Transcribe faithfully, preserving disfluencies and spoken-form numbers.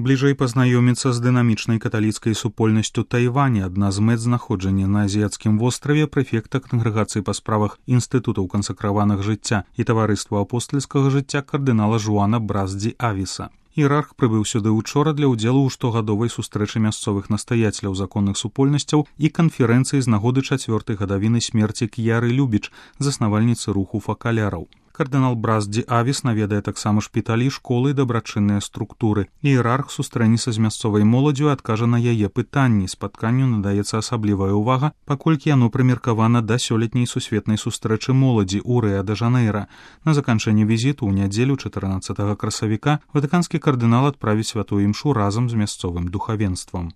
Бліжэй пазнаёміцца з дынамічнай каталіцкай супольнасцю Тайваня, адна з мэт знаходжання на азіяцкім востраве прэфекта кангрэгацыі па справах інстытутаў кансакраваных жыцця і таварыства апостальскага жыцця кардынала Жуана Бразді-Авіса. Іерарх прыбыў сюды ўчора для ўдзелу ў штогадовай сустрэчы мясцовых настаяцеляў законных супольнасцяў і канферэнцыі з нагоды чацвёртай гадавіны смерці К'яры Любіч, заснавальніцы руху факаляраў. Кардынал Бразді-Авіс наведае таксама шпіталі, школы і дабрачынныя структуры. Іерарх сустрэнецца з мясцовай моладдзю і адкажа на яе пытанні. Спатканню надаецца асаблівая ўвага, паколькі яно прымеркавана да сёлетняй сусветнай сустрэчы моладзі ў Рыа-дэ-Жанэйра. На заканчэнне візіту ў нядзелю чатырнаццатага красавіка ватыканскі кардынал адправіць святую імшу разам з мясцовым духавенствам.